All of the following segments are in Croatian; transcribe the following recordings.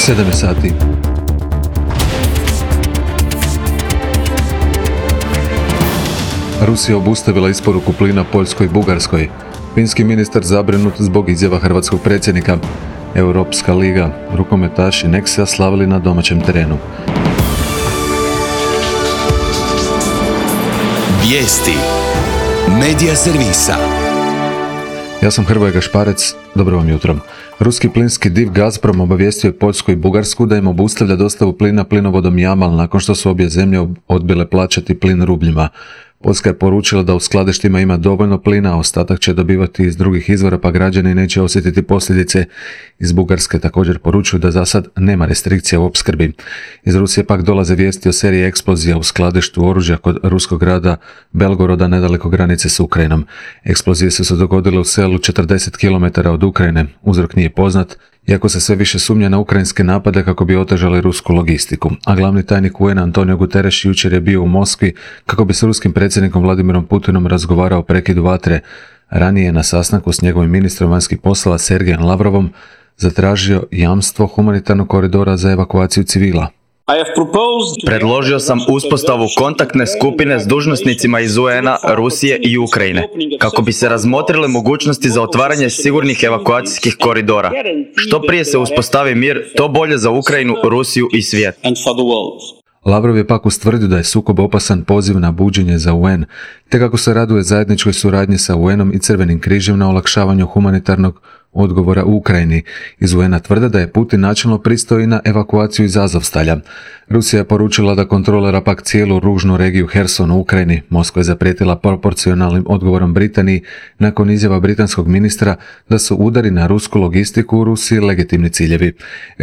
7 sati. Rusija obustavila isporuku plina Poljskoj i Bugarskoj. Finski ministar zabrinut zbog izjava hrvatskog predsjednika. Europska liga. Rukometaši Nexia slavili na domaćem terenu. Vijesti Medija servisa. Ja sam Hrvoje Gašparec, dobro vam jutro. Ruski plinski div Gazprom obavijestio je Poljsku i Bugarsku da im obustavlja dostavu plina plinovodom Jamal nakon što su obje zemlje odbile plaćati plin rubljima. Poljska je poručila da u skladištima ima dovoljno plina, a ostatak će dobivati iz drugih izvora, pa građani neće osjetiti posljedice. Iz Bugarske također poručuju da za sad nema restrikcija u opskrbi. Iz Rusije pak dolaze vijesti o seriji eksplozija u skladištu oružja kod ruskog grada Belgoroda nedaleko granice s Ukrajinom. Eksplozije su se dogodile u selu 40 km od Ukrajine. Uzrok nije poznat, iako se sve više sumnja na ukrajinske napade kako bi otežali rusku logistiku. A glavni tajnik UN Antonio Guterres jučer je bio u Moskvi kako bi s ruskim predsjednikom Vladimirom Putinom razgovarao o prekidu vatre. Ranije je na sastanku s njegovim ministrom vanjskih poslova Sergejem Lavrovom zatražio jamstvo humanitarnog koridora za evakuaciju civila. Predložio sam uspostavu kontaktne skupine s dužnosnicima iz UN-a, Rusije i Ukrajine, kako bi se razmotrile mogućnosti za otvaranje sigurnih evakuacijskih koridora. Što prije se uspostavi mir, to bolje za Ukrajinu, Rusiju i svijet. Lavrov je pak ustvrdio da je sukob opasan poziv na buđenje za UN, te kako se raduje zajedničkoj suradnji sa UN-om i Crvenim križem na olakšavanju humanitarnog odgovora u Ukrajini. Iz UN-a tvrde da je Putin načelno pristao i na evakuaciju iz Azovstalja. Rusija je poručila da kontrolira pak cijelu ružnu regiju Herson u Ukrajini. Moskva je zaprijetila proporcionalnim odgovorom Britaniji nakon izjava britanskog ministra da su udari na rusku logistiku u Rusiji legitimni ciljevi.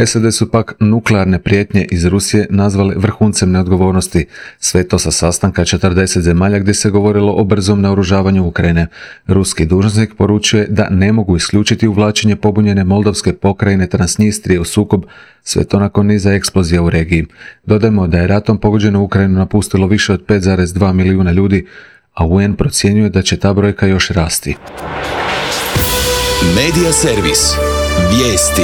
SAD su pak nuklearne prijetnje iz Rusije nazvali vrhuncem neodgovornosti. Sve to sa sastanka 40 zemalja gdje se govorilo o brzom naoružavanju Ukrajine. Ruski dužnosnik poručuje da ne mogu isključiti uvlačenje pobunjene moldavske pokrajine Transnistrije u sukob, sve to nakon niza eksplozija u regiji. Dodajmo da je ratom pogođenu Ukrajinu napustilo više od 5,2 milijuna ljudi, a UN procjenjuje da će ta brojka još rasti. Medija servis. Vijesti.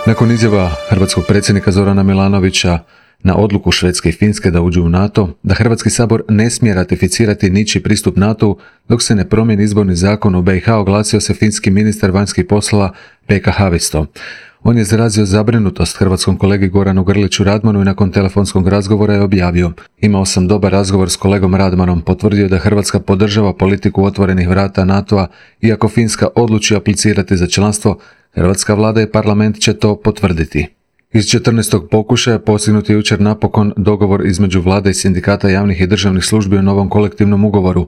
Nakon izjava hrvatskog predsjednika Zorana Milanovića na odluku Švedske i Finske da uđu u NATO, da Hrvatski sabor ne smije ratificirati ničiji pristup NATO-u dok se ne promijeni izborni zakon u BiH, oglasio se finski ministar vanjskih poslova Pekka Haavisto. On je izrazio zabrinutost hrvatskom kolegi Goranu Grliću Radmanu i nakon telefonskog razgovora je objavio: "Imao sam dobar razgovor s kolegom Radmanom, potvrdio da Hrvatska podržava politiku otvorenih vrata NATO-a, iako Finska odluči aplicirati za članstvo, hrvatska vlada i parlament će to potvrditi." Iz 14. pokušaja postignut je jučer napokon dogovor između vlade i sindikata javnih i državnih službi o novom kolektivnom ugovoru.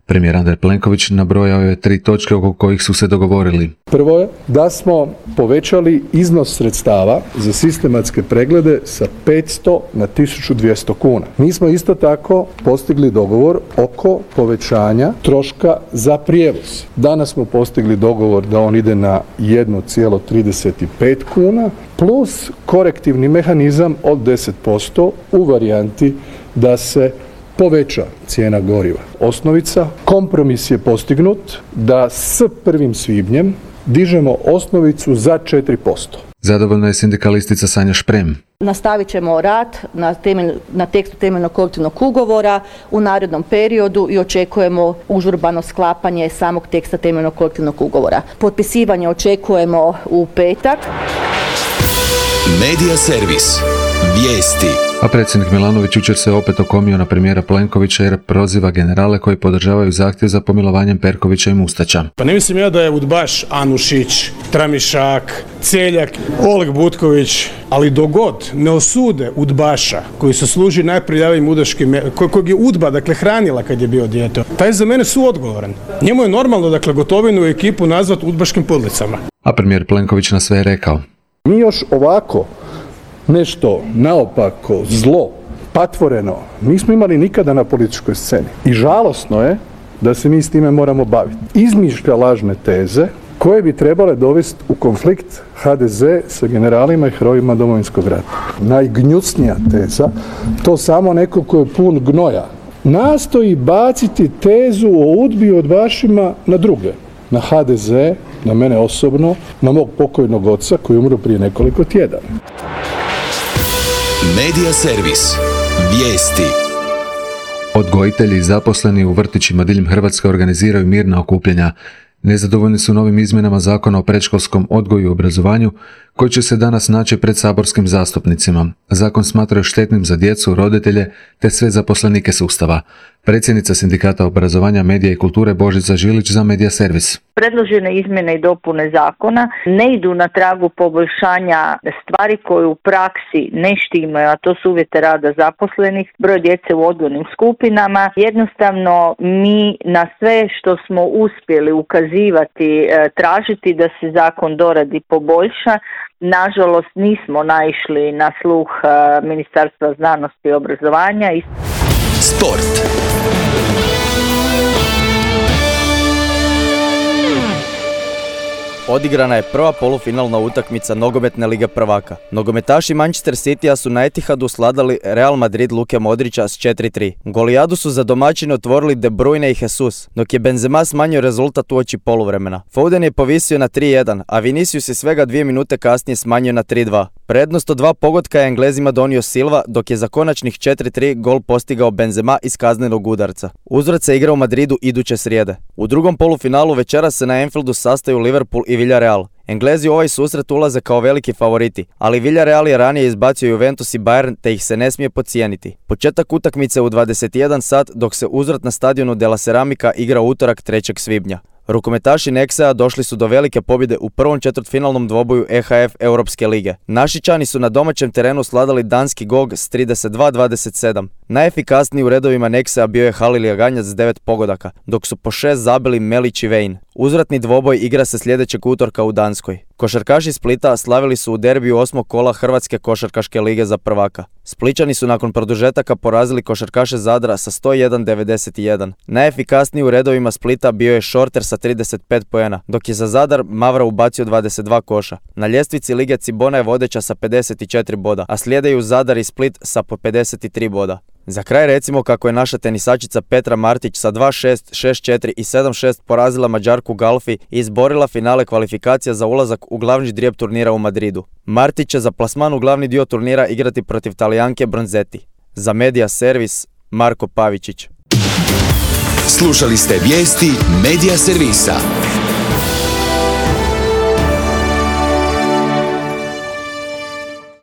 Premijer Andrej Plenković nabrojao je 3 točke oko kojih su se dogovorili. Prvo je da smo povećali iznos sredstava za sistematske preglede sa 500 na 1200 kuna. Mi smo isto tako postigli dogovor oko povećanja troška za prijevoz. Danas smo postigli dogovor da on ide na 1,35 kuna plus korektivni mehanizam od 10% u varijanti da se poveća cijena goriva. Osnovica, kompromis je postignut da s 1. svibnjem dižemo osnovicu za 4%. Zadovoljna je sindikalistica Sanja Šprem. Nastavit ćemo rad na tekstu temeljnog kolektivnog ugovora u narednom periodu i očekujemo užurbano sklapanje samog teksta temeljnog kolektivnog ugovora. Potpisivanje očekujemo u petak. Medija servis. Vijesti. A predsjednik Milanović jučer se opet okomio na premijera Plenkovića jer proziva generale koji podržavaju zahtjev za pomilovanjem Perkovića i Mustača. Pa ne mislim ja da je udbaš Anušić, Tramišak, Celjak, Oleg Butković, ali dogod ne osude udbaša koji se služi najprljavijim udaškim, kojeg je udba hranila kad je bio dijete, taj je za mene suodgovoran. Njemu je normalno Gotovinu i ekipu nazvat udbaškim podlicama. A premijer Plenković na sve je rekao: "Mi još ovako nešto naopako, zlo, patvoreno, nismo imali nikada na političkoj sceni. I žalosno je da se mi s time moramo baviti. Izmišlja lažne teze koje bi trebale dovesti u konflikt HDZ sa generalima i herojima Domovinskog rata. Najgnjusnija teza, to samo neko ko je pun gnoja, nastoji baciti tezu o udbi i udbašima na druge. Na HDZ, na mene osobno, na mog pokojnog oca koji je umro prije nekoliko tjedana." Medija servis. Vijesti. Odgojitelji i zaposleni u vrtićima diljem Hrvatske organiziraju mirna okupljanja. Nezadovoljni su novim izmjenama Zakona o predškolskom odgoju i obrazovanju, koji će se danas naći pred saborskim zastupnicima. Zakon smatraju štetnim za djecu, roditelje te sve zaposlenike sustava. Predsjednica Sindikata obrazovanja, medija i kulture Božica Žilić za Medija servis. Predložene izmjene i dopune zakona ne idu na tragu poboljšanja stvari koje u praksi ne štimaju, a to su uvjete rada zaposlenih, broj djece u odgojnim skupinama. Jednostavno mi na sve što smo uspjeli ukazivati, tražiti da se zakon doradi, poboljša, nažalost nismo naišli na sluh Ministarstva znanosti i obrazovanja. Sport. Odigrana je prva polufinalna utakmica nogometne lige prvaka. Nogometaši Manchester Citya su na Etihadu sladali Real Madrid Luke Modrića s 4-3. Golijadu su za domaćine otvorili De Bruyne i Jesus, dok je Benzema smanjio rezultat uoči poluvremena. Foden je povisio na 3-1, a Vinicius je svega 2 minute kasnije smanjio na 3-2. Prednost od 2 pogotka je Englezima donio Silva, dok je za konačnih 4-3 gol postigao Benzema iz kaznenog udarca. Uzvrat se igra u Madridu iduće srijede. U drugom polufinalu večeras se na Anfieldu sastaju Liverpool i Villarreal. Englezi u ovaj susret ulaze kao veliki favoriti, ali Villarreal je ranije izbacio Juventus i Bayern te ih se ne smije podcijeniti. Početak utakmice u 21 sat, dok se uzvrat na stadionu De La Ceramica igra utorak 3. svibnja. Rukometaši Nexa došli su do velike pobjede u prvom četvrtfinalnom dvoboju EHF Europske lige. Našičani su na domaćem terenu sladali danski GOG s 32-27. Najefikasniji u redovima Nexa bio je Halil Jaganjac s 9 pogodaka, dok su po 6 zabili Melić i Vejn. Uzvratni dvoboj igra se sljedećeg utorka u Danskoj. Košarkaši Splita slavili su u derbiju 8. kola Hrvatske košarkaške lige za prvaka. Splićani su nakon produžetaka porazili košarkaše Zadra sa 101-91. Najefikasniji u redovima Splita bio je Šorter sa 35 poena, dok je za Zadar Mavra ubacio 22 koša. Na ljestvici lige Cibona je vodeća sa 54 boda, a slijedaju Zadar i Split sa po 53 boda. Za kraj recimo kako je naša tenisačica Petra Martić sa 2-6, 6-4 i 7-6 porazila Mađarku Galfi i izborila finale kvalifikacija za ulazak u glavni ždrijeb turnira u Madridu. Martić će za plasman u glavni dio turnira igrati protiv Talijanke Bronzetti. Za Medija servis, Marko Pavičić. Slušali ste vijesti Medija servisa.